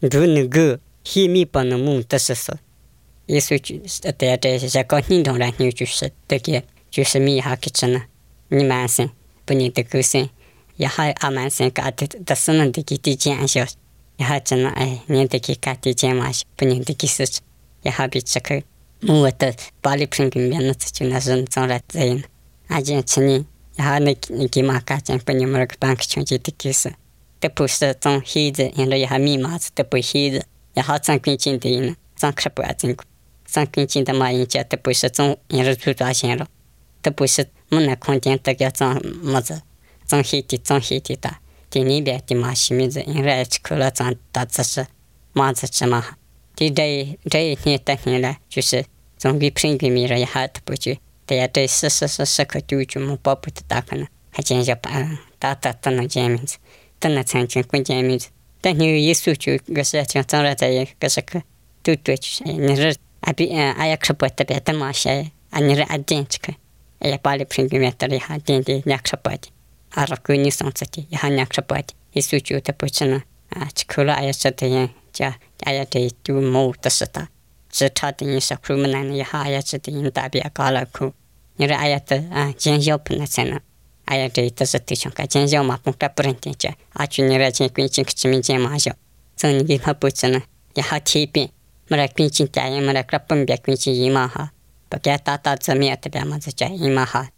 如那个黑米不能蒙的是说，耶稣就对这些个认同来牛就是这个就是米哈克吃呢，你满身不你的个身，也还阿满身个的的是能的给地见小，也还真呢哎，你的给个地见嘛，不你的给是，也还比这个我的巴黎平均面那就那是长来这样，阿见吃呢，也还那给嘛个见不你们个办个穷就的给是。得不是种黑子，因为也还密码子得不黑子，也好挣根金的呢，挣可不要挣，挣根金的嘛，人家得不是种，也是赚大钱了，得不是没那空间得个挣么子，挣黑的挣黑的的，第那边的嘛西面子，因为吃苦了挣大知识，嘛子吃嘛，对这这一天得天了，就是总比平均米了也还得不就，对呀，这是是是是可丢就么包不得大可能，还见着把大大都能见面子。等那曾经关键名字，但你一说就个是像长了在个是个都对，就是你是阿比阿呀吃不特别的嘛些，啊你是阿点这个，哎呀巴里平均面得里哈点的两吃不的，阿拉闺女上次的也哈两吃不的，一说就得不吃呢，啊吃苦了哎呀吃的人家哎呀这就没得是的，只差的你是苦么难的哈呀吃的人大别搞了苦，你说哎呀的啊见小不能吃呢。哎呀，这都是对象个，见小嘛，不该不认得家，阿去你来见归见个见面见嘛小，从你给他不吃呢，也好提遍，没来归见家人，没来个分别归见姨妈哈，不该打打字面特别嘛子家姨妈哈。